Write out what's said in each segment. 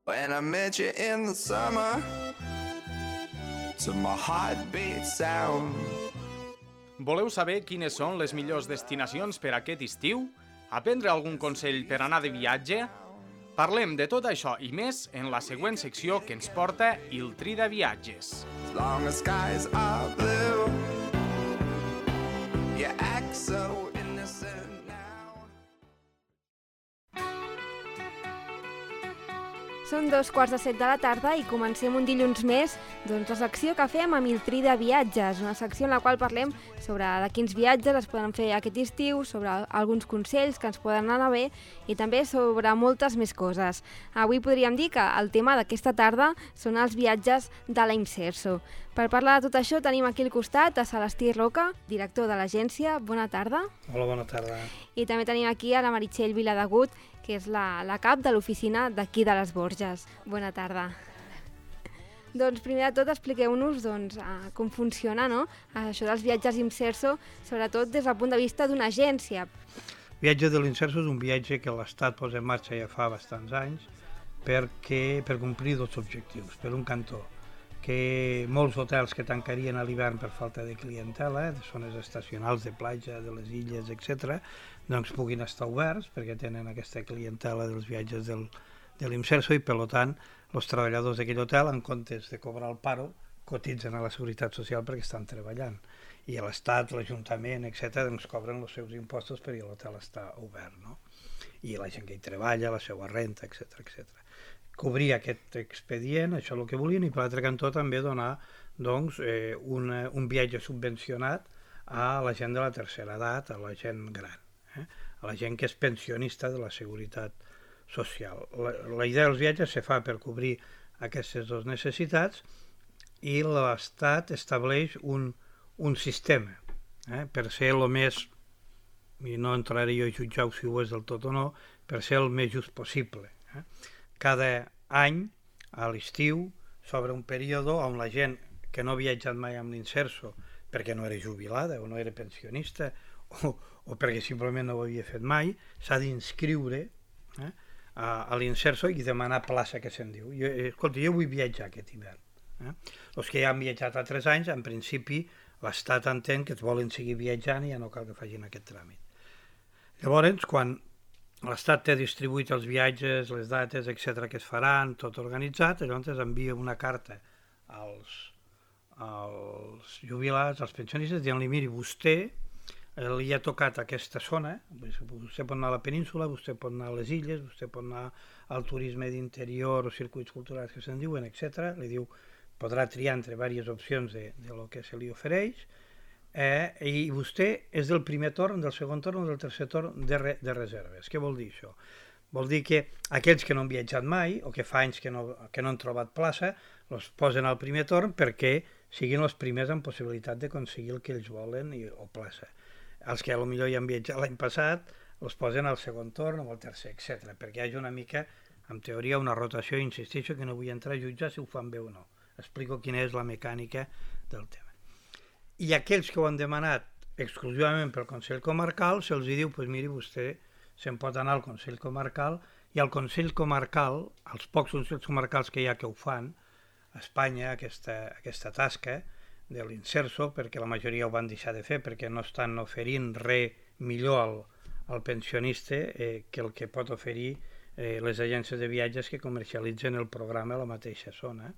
When I met you in the summer, to my heartbeat sound. Voleu saber quines són les millors destinacions per aquest estiu? Aprendre algun consell per anar de viatge? Parlem de tot això i més en la següent secció que ens porta Il Tri de Viatges. As long as skies are blue, you act so innocent now. Són 2:15 de la tarda i comencem un dilluns més la secció que fem amb Il Tri de Viatges, una secció en la qual parlem sobre de quins viatges es poden fer aquest estiu, sobre alguns consells que ens poden anar bé i també sobre moltes més coses. Avui podríem dir que el tema d'aquesta tarda són els viatges de la Imserso. Per parlar de tot això tenim aquí al costat a Celestí Roca, director de l'agència. Bona tarda. Hola, bona tarda. I també tenim aquí a la Meritxell Viladegut, que és la cap de l'oficina d'aquí de les Borges. Bona tarda. Doncs primer de tot expliqueu-nos com funciona això dels viatges Imserso, sobretot des del punt de vista d'una agència. El viatge de l'Imserso és un viatge que l'Estat posa en marxa ja fa bastants anys per complir dos objectius. Per un cantó, que molts hotels que tancarien a l'hivern per falta de clientela, de zones estacionals, de platja, de les illes, etc., doncs puguin estar oberts perquè tenen aquesta clientela dels viatges de l'Imserso i, per tant, els treballadors d'aquell hotel, en comptes de cobrar el paro, cotitzen a la Seguretat Social perquè estan treballant. I l'Estat, l'Ajuntament, etc., doncs cobren els seus impostos perquè l'hotel està obert, no? I la gent que hi treballa, la seva renta, etc. Cobrir aquest expedient, això és el que volien, i per l'altre cantó també donar un viatge subvencionat a la gent de la tercera edat, a la gent gran, a la gent que és pensionista de la Seguretat Social. La idea dels viatges se fa per cobrir aquestes dues necessitats i l'Estat estableix un sistema per ser el més, i no entraré jo a jutjar si ho és del tot o no, per ser el més just possible. Cada any, a l'estiu, s'obre un període on la gent que no ha viatjat mai amb l'Imserso perquè no era jubilada o no era pensionista o perquè simplement no ho havia fet mai, s'ha d'inscriure a l'Imserso i demanar plaça, que se'n diu. Escolta, jo vull viatjar aquest hivern. Els que ja han viatjat altres anys, en principi, l'Estat entén que es volen seguir viatjant i ja no cal que facin aquest tràmit. Llavors, quan l'Estat té distribuït els viatges, les dates, etc., que es faran, tot organitzat, llavors envia una carta als jubilats, als pensionistes, dient-li, miri, vostè li ha tocat aquesta zona, vostè pot anar a la península, vostè pot anar a les illes, vostè pot anar al turisme d'interior o circuits culturals que se'n diuen, etc. Li diu, podrà triar entre diverses opcions de lo que se li ofereix, i vostè és del primer torn, del segon torn o del tercer torn de reserves. Què vol dir això? Vol dir que aquells que no han viatjat mai o que fa anys que no han trobat plaça, els posen al primer torn perquè siguin els primers en possibilitat d'aconseguir el que ells volen o plaça. Els que potser ja han viatjat l'any passat els posen al segon torn o al tercer, etc. perquè hi hagi una mica, en teoria, una rotació, insisteixo que no vull entrar a jutjar si ho fan bé o no. Explico quina és la mecànica del tema. I aquells que ho han demanat exclusivament pel Consell Comarcal, se'ls diu, doncs miri, vostè se'n pot anar al Consell Comarcal, i al Consell Comarcal, els pocs Consells Comarcals que hi ha que ho fan, a Espanya, aquesta tasca de l'Imserso, perquè la majoria ho van deixar de fer, perquè no estan oferint res millor al pensionista que el que pot oferir les agències de viatges que comercialitzen el programa a la mateixa zona.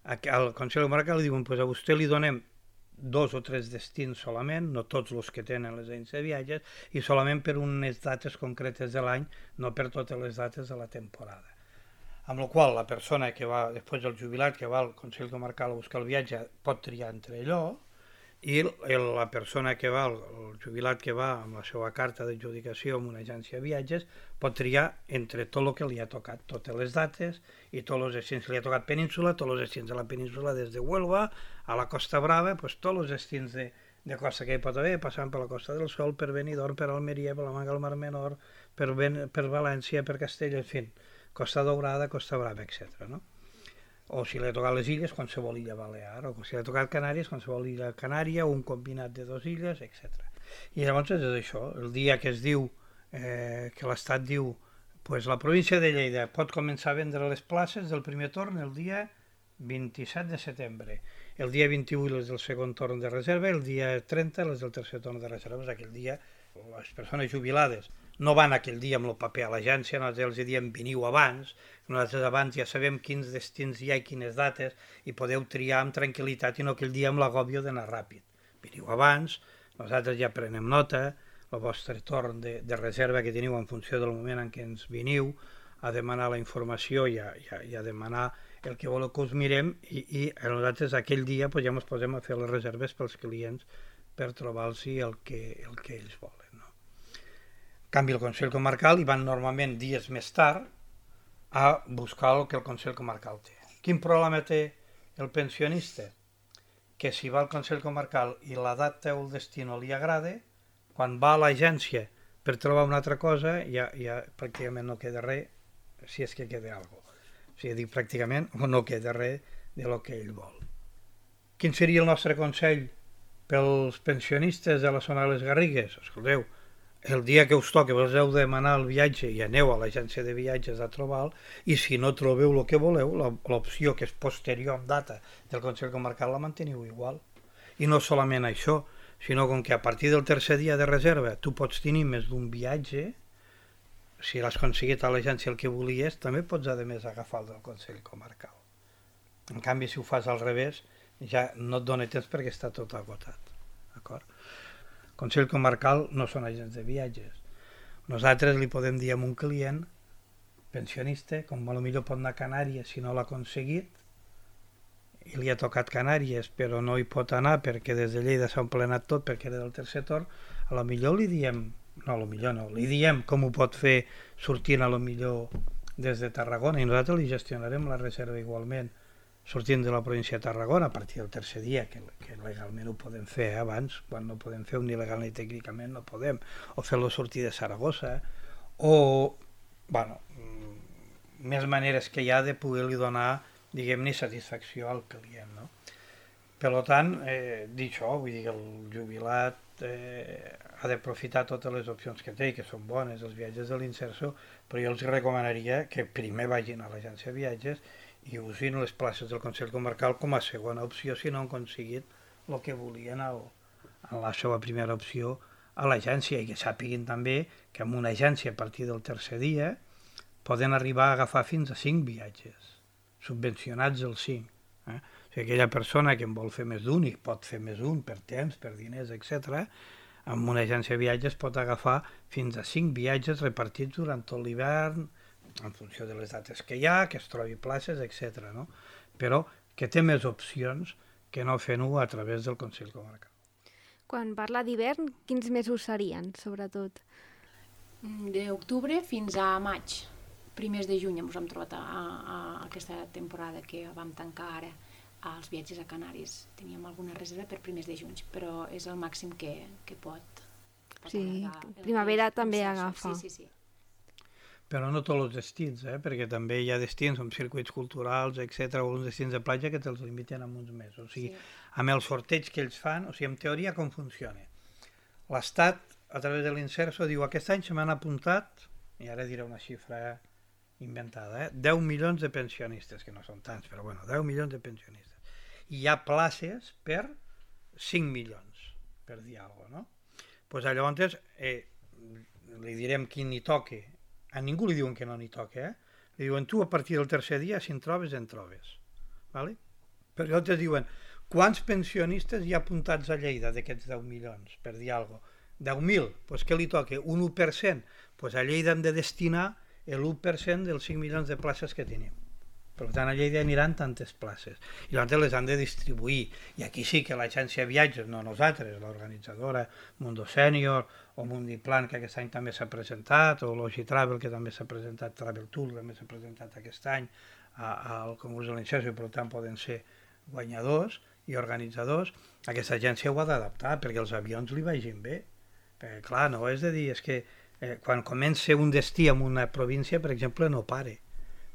Al Consell Comarcal li diuen, doncs a vostè li donem 2 o 3 destins solament, no tots els que tenen les agències de viatges, i solament per unes dates concretes de l'any, no per totes les dates de la temporada. Amb la qual la persona que va, després del jubilat, que va al Consell Comarcal a buscar el viatge, pot triar entre allò, i la persona que va, el jubilat que va amb la seva carta d'adjudicació en una agència de viatges, pot triar entre tot el que li ha tocat, totes les dates i tots els destins que li ha tocat península, tots els destins de la península des de Huelva a la Costa Brava, doncs tots els destins de costa que hi pot haver, passant per la Costa del Sol, per Benidorm, per Almeria, per la Manga del Mar Menor, per València, per Castella, en fi, Costa Daurada, Costa Brava, etc. No? O si li ha tocat les illes, qualsevol illa balear, o si li ha tocat Canàries, qualsevol illa canària, o un combinat de 2 illes, etc. I llavors és això, el dia que es diu, que l'Estat diu Pues la província de Lleida pot començar a vendre les places del primer torn el dia 27 de setembre. El dia 21 les del segon torn de reserva, el dia 30 les del tercer torn de reserva. Aquell dia les persones jubilades no van aquell dia amb el paper a l'agència, nosaltres els diem veniu abans, nosaltres abans ja sabem quins destins hi ha i quines dates i podeu triar amb tranquil·litat i no aquell dia amb l'agòbio d'anar ràpid. Veniu abans, nosaltres ja prenem nota, el vostre torn de reserva que teniu en funció del moment en què ens veniu, a demanar la informació i a demanar el que voleu que us mirem i nosaltres aquell dia ja ens posem a fer les reserves pels clients per trobar-los el que ells volen. No? En canvi, el Consell Comarcal hi van normalment dies més tard a buscar el que el Consell Comarcal té. Quin problema té el pensionista? Que si va al Consell Comarcal i la data o el destí no li agrada, quan va a l'agència per trobar una altra cosa ja pràcticament no queda res, si és que queda alguna cosa. O sigui, dic pràcticament no queda res de lo que ell vol. Quin seria el nostre consell pels pensionistes de la zona de les Garrigues? Escolteu, el dia que us toqui vos heu de demanar el viatge i aneu a l'agència de viatges a trobar-lo i si no trobeu el que voleu, l'opció que és posterior en data del Consell Comarcal la manteniu igual. I no solament això, sinó com que a partir del tercer dia de reserva tu pots tenir més d'un viatge, si l'has aconseguit a l'agència el que volies, també pots a més agafar el del Consell Comarcal. En canvi, si ho fas al revés, ja no et dona temps perquè està tot agotat. D'acord? Consell Comarcal no són agents de viatges. Nosaltres li podem dir a un client pensionista, com potser pot anar a Canàries si no l'ha aconseguit, i li ha tocat Canàries però no hi pot anar perquè des de Lleida s'ha emplenat tot perquè era del tercer torn, a lo millor li diem, li diem com ho pot fer sortint a lo millor des de Tarragona i nosaltres li gestionarem la reserva igualment sortint de la província de Tarragona a partir del tercer dia, que legalment ho podem fer abans, quan no podem fer un il·legal ni tècnicament no podem, o fer-lo sortir de Saragossa, o, bueno, més maneres que hi ha de poder-li donar diguem-ne, satisfacció al client. No? Per tant, dir això, vull dir que el jubilat ha d'aprofitar totes les opcions que té, que són bones, els viatges de l'Inserso, però jo els recomanaria que primer vagin a l'agència de viatges i usin les places del Consell Comarcal com a segona opció si no han aconseguit el que volien en la seva primera opció a l'agència i que sàpiguin també que amb una agència a partir del tercer dia poden arribar a agafar fins a 5 viatges subvencionats els 5. O sigui, aquella persona que en vol fer més d'un i pot fer més un per temps, per diners, etc., amb una agència de viatges pot agafar fins a 5 viatges repartits durant tot l'hivern, en funció de les dates que hi ha, que es trobi places, etc. No? Però que té més opcions que no fent-ho a través del Consell Comarcal. Quan parla d'hivern, quins mesos serien, sobretot? D'octubre fins a maig. Primers de juny ens hem trobat a aquesta temporada que vam tancar ara als viatges a Canàries. Teníem alguna reserva per primers de juny, però és el màxim que pot sí, primavera també agafa. Sí. Però no tots els destins, perquè també hi ha destins amb circuits culturals, etc., o uns destins de platja que te'ls limiten en uns mesos. O sigui, amb el sorteig que ells fan, o sigui, en teoria com funciona. L'Estat, a través de l'Inserso, diu aquest any se m'han apuntat, i ara diré una xifra inventada, 10 milions de pensionistes, que no són tants, però bueno, 10 milions de pensionistes. I hi ha places per 5 milions, per dir alguna cosa, no? Doncs llavors li direm qui n'hi toque. A ningú li diuen que no n'hi toque, Li diuen tu a partir del tercer dia, si en trobes, en trobes. Vale? Però llavors diuen, quants pensionistes hi ha apuntats a Lleida d'aquests 10 milions, per dir alguna cosa? 10.000, doncs què li toca? Un 1%? Doncs a Lleida hem de destinar l'1% dels 5 milions de places que tenim. Per tant, a Lleida aniran tantes places. I llavors les han de distribuir. I aquí sí que l'agència de viatges, no nosaltres, l'organitzadora Mundo Senior o Mundiplan, que aquest any també s'ha presentat, o Logitravel, que també s'ha presentat, Travel Tour, també s'ha presentat aquest any al concurs de l'Inserso, i per tant poden ser guanyadors i organitzadors. Aquesta agència ho ha d'adaptar perquè els avions li vagin bé. Perquè, clar, no és de dir, és que quan comença un destí en una província, per exemple, no pare,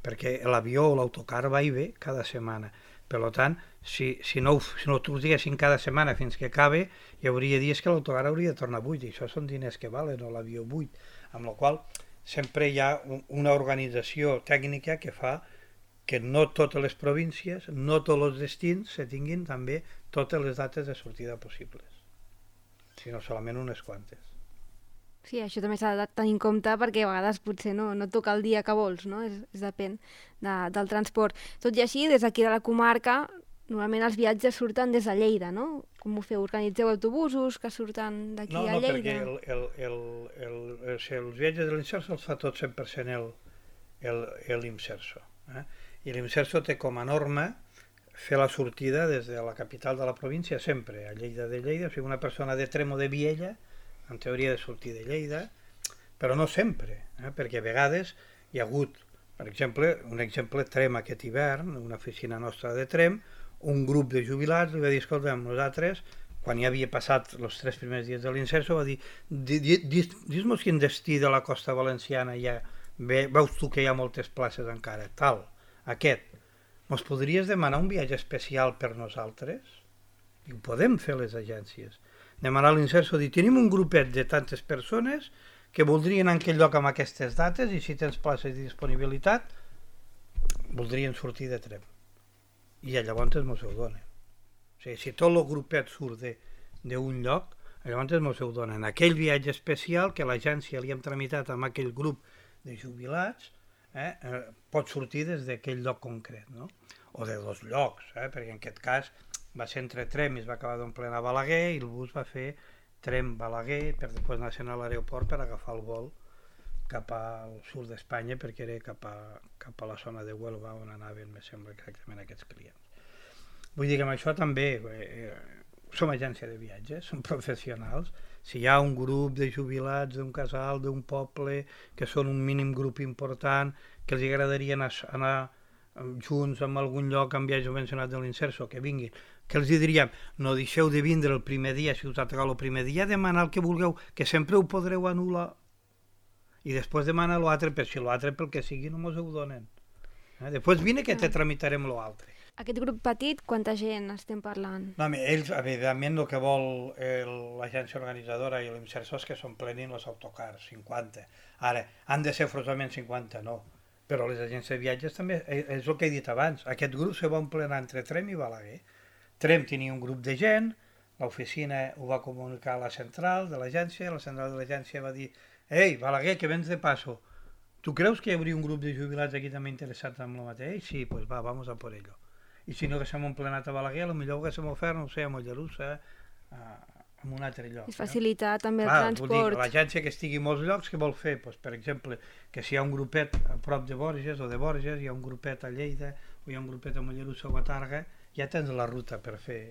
perquè l'avió o l'autocar va i ve cada setmana. Per tant, si no t'ho diguessin cada setmana fins que acabe, hi hauria dies que l'autocar hauria de tornar buit, i això són diners que valen, o l'avió buit. Amb la qual sempre hi ha una organització tècnica que fa que no totes les províncies, no tots els destins se tinguin també totes les dates de sortida possibles, sinó solament unes quantes. Sí, això també s'ha de tenir en compte perquè a vegades potser no toca el dia que vols, no? És depèn del transport. Tot i així, des d'aquí de la comarca, normalment els viatges surten des de Lleida, no? Com ho feu? Organitzeu autobusos que surten d'aquí a Lleida? No, perquè els viatges de l'Imserso els fa tot 100% l'Imserso. I l'Imserso té com a norma fer la sortida des de la capital de la província sempre, a Lleida de Lleida. O sigui, una persona de Trem o de Viella en teoria de sortir de Lleida, però no sempre, perquè a vegades hi ha hagut, per exemple, un exemple Trem aquest hivern, una oficina nostra de Trem, un grup de jubilats li va dir, escolta'm, nosaltres, quan ja havia passat els 3 primers dies de l'Imserso, va dir, dis-nos quin destí de la costa valenciana hi ha, veus tu que hi ha moltes places encara, tal, aquest, mos podries demanar un viatge especial per nosaltres? I ho podem fer les agències. Demanar a l'Imserso, dir, tenim un grupet de tantes persones que voldrien anar en aquell lloc amb aquestes dates i si tens places de disponibilitat, voldrien sortir de Trem. I llavors mos ho donen. O sigui, si tot el grupet surt d'un lloc, llavors mos ho donen. Aquell viatge especial que l'agència li hem tramitat amb aquell grup de jubilats, pot sortir des d'aquell lloc concret, no? O de 2 llocs, perquè en aquest cas va ser entre Trem i es va acabar d'omplir a Balaguer i el bus va fer Trem-Balaguer per després anar a l'aeroport per agafar el vol cap al sud d'Espanya perquè era cap a la zona de Huelva on anaven, me sembla, exactament aquests clients. Vull dir que amb això també som agència de viatges, som professionals. Si hi ha un grup de jubilats d'un casal, d'un poble, que són un mínim grup important, que els agradaria anar junts en algun lloc amb viatge subvencionat de l'Imserso, que vinguin, que els diríem, no deixeu de vindre el primer dia, si us ha tocat el primer dia, demanar el que vulgueu, que sempre ho podreu anul·lar, i després demanar l'altre, però si l'altre pel que sigui no mos ho donen. Després vine que te tramitarem l'altre. Aquest grup petit, quanta gent estem parlant? No, ells, evidentment, el que vol l'agència organitzadora i l'Imserso és que s'omplenin els autocars, 50. Ara, han de ser forçosament 50, no. Però les agències de viatges també, és el que he dit abans, aquest grup se va emplenar entre Trem i Balaguer. Trem tenia un grup de gent, l'oficina ho va comunicar a la central de l'agència, la central de l'agència va dir «Ei, Balaguer, que vens de paso, tu creus que hi hauria un grup de jubilats aquí també interessats en el mateix? Sí, pues va, vamos a por ello». I si no haguéssim emplenat a Balaguer, potser ho haguéssim ofert, no sé, a Mollerussa, en un altre lloc. És facilitar també el transport. Vull dir, l'agència que estigui a molts llocs, què vol fer? Pues, per exemple, que si hi ha un grupet a prop de Borges o de Borges, hi ha un grupet a Lleida, o hi ha un grupet a Mollerussa o a Targa, ja tens la ruta per fer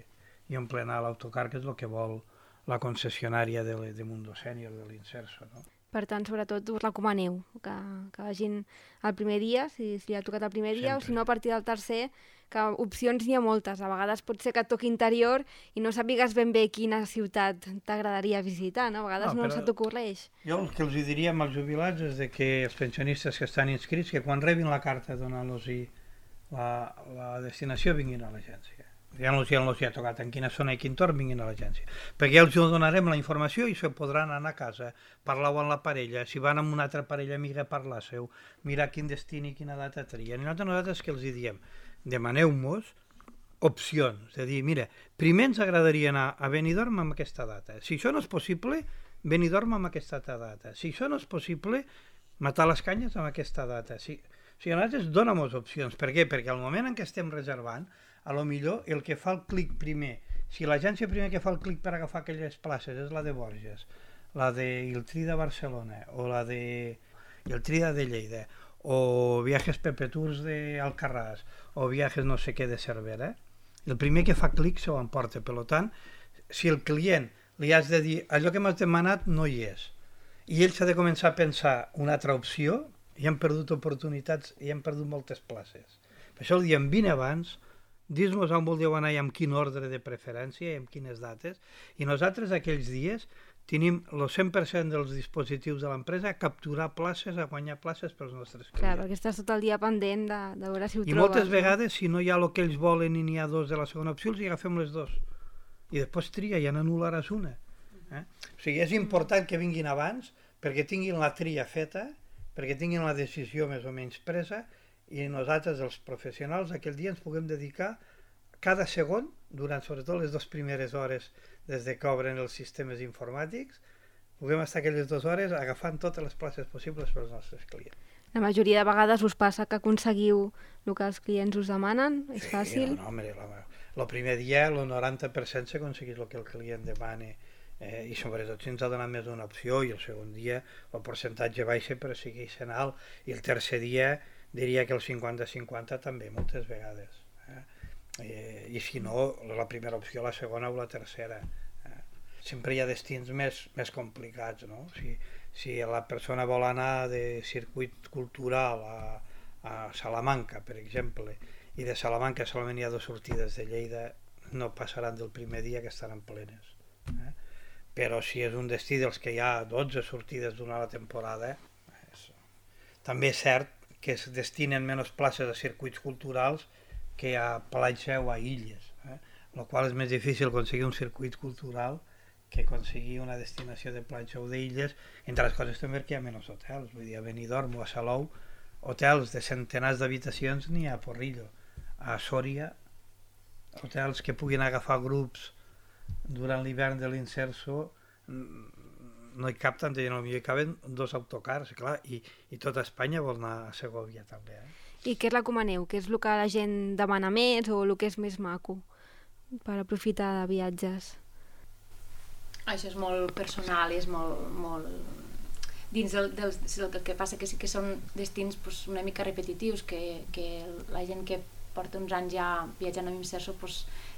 i emplenar l'autocar, que és el que vol la concessionària de Mundo Sènior, de l'Imserso, no? Per tant, sobretot, us recomaneu que vagin el primer dia, si li ha tocat el primer dia, o si no, a partir del tercer, que opcions n'hi ha moltes. A vegades pot ser que et toqui interior i no sàpigues ben bé quina ciutat t'agradaria visitar, no? A vegades no se t'ocorreix. Jo el que els diria als jubilats és que els pensionistes que estan inscrits, que quan rebin la carta donant-los la destinació vinguin a l'agència. Ja no els hi ha tocat en quina zona i quin torn, vinguin a l'agència. Perquè ja els donarem la informació i se podran anar a casa, parlar amb la parella, si van amb una altra parella amiga parlar-seu, mirar quin destí i quina data trien. I nosaltres que els diem, demaneu-nos opcions, és a dir, mira, primer ens agradaria anar a Benidorm amb aquesta data. Si això no és possible, Benidorm amb aquesta data. Si això no és possible, matar les canyes amb aquesta data. O sigui, nosaltres dona'm opcions. Per què? Perquè al moment en què estem reservant, a lo millor el que fa el clic primer, si l'agència primer que fa el clic per agafar aquelles places és la de Borges, la de Iltrida Barcelona o la de Iltrida de Lleida o Viajes Pepe Tours d'Alcarràs o Viajes no sé què de Cervera, el primer que fa clic se ho emporta. Per tant, si el client li has de dir allò que m'has demanat no hi és i ell s'ha de començar a pensar una altra opció, i han perdut oportunitats i han perdut moltes places. Per això el diem, vine abans, dis-nos on voldríeu anar i amb quin ordre de preferència i amb quines dates, i nosaltres aquells dies tenim el 100% dels dispositius de l'empresa a capturar places, a guanyar places pels nostres clients. Clar, perquè estàs tot el dia pendent de veure si ho trobes. I moltes vegades, si no hi ha el que ells volen i n'hi ha 2 de la segona opció, els hi agafem les 2. I després tria, ja n'anul·laràs una. O sigui, és important que vinguin abans perquè tinguin la tria feta perquè tinguin la decisió més o menys presa i nosaltres, els professionals, aquell dia ens puguem dedicar cada segon, durant sobretot les 2 primeres hores des de que obren els sistemes informàtics, puguem estar aquelles 2 hores agafant totes les places possibles pels nostres clients. La majoria de vegades us passa que aconseguiu el que els clients us demanen? És fàcil? No, home, el primer dia el 90% s'aconsegueix el que el client demana, i sobretot si ens ha donat més d'una opció, i el segon dia el percentatge baixa però segueix sent alt, i el tercer dia diria que el 50-50 també moltes vegades. I si no, la primera opció, la segona o la tercera. Sempre hi ha destins més complicats, no? Si la persona vol anar de circuit cultural a Salamanca, per exemple, i de Salamanca solament hi ha 2 sortides de Lleida, no passaran del primer dia que estaran plenes. Però si és un destí dels que hi ha 12 sortides durant la temporada, també és cert que es destinen menys places a circuits culturals que a platja o a illes, el qual és més difícil aconseguir un circuit cultural que aconseguir una destinació de platja o d'illes, entre les coses també perquè hi ha menys hotels, vull dir, a Benidorm o a Salou, hotels de centenars d'habitacions n'hi ha a Porrillo. A Sòria, hotels que puguin agafar grups durant l'hivern de l'Inserso, no hi cap tanta gent, potser hi caben 2 autocars, clar, i tota Espanya vol anar a Segovia també. I què recomaneu? Què és el que la gent demana més o el que és més maco per aprofitar de viatges? Això és molt personal, és molt... Dins el que passa que sí que són destins una mica repetitius, que la gent que porta uns anys ja viatjant amb Imserso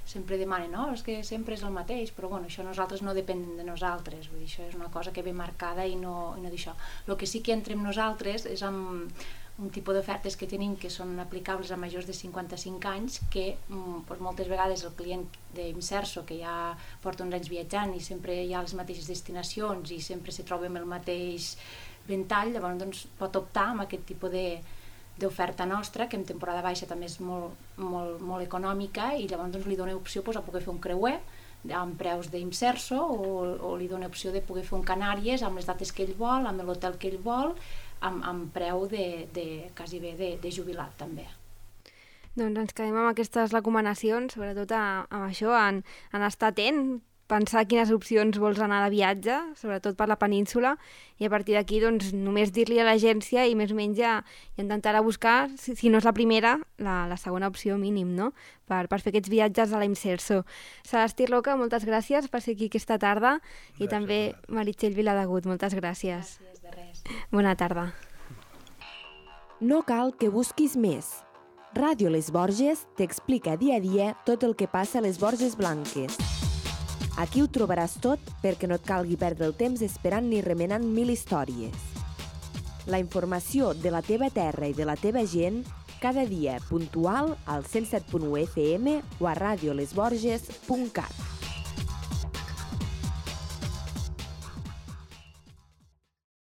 sempre demana, no, és que sempre és el mateix, però bueno, això nosaltres no depèn de nosaltres, vull dir, això és una cosa que ve marcada i no d'això. El que sí que entrem nosaltres és amb un tipus d'ofertes que tenim que són aplicables a majors de 55 anys, que moltes vegades el client d'Imserso, que ja porta uns anys viatjant i sempre hi ha les mateixes destinacions i sempre se troba amb el mateix ventall, llavors pot optar amb aquest tipus d'oferta nostra, que en temporada baixa també és molt econòmica, i llavors li dona opció a poder fer un creuer amb preus d'Imserso, o li dona opció de poder fer un Canàries amb les dates que ell vol, amb l'hotel que ell vol, amb preu quasi bé de jubilat també. Doncs ens quedem amb aquestes recomanacions, sobretot amb això, en estar atent, pensar quines opcions vols anar de viatge, sobretot per la península, i a partir d'aquí doncs, només dir-li a l'agència i més o menys ja intentarà buscar, si no és la primera, la segona opció mínim, no? Per fer aquests viatges a la Imserso. Celestí Roca, moltes gràcies per ser aquí aquesta tarda, i també Meritxell Viladegut, moltes gràcies. Gràcies, de res. Bona tarda. No cal que busquis més. Ràdio Les Borges t'explica dia a dia tot el que passa a les Borges Blanques. Aquí ho trobaràs tot perquè no et calgui perdre el temps esperant ni remenant 1000 històries. La informació de la teva terra i de la teva gent cada dia puntual al 107.1 FM o a radiolesborges.cat.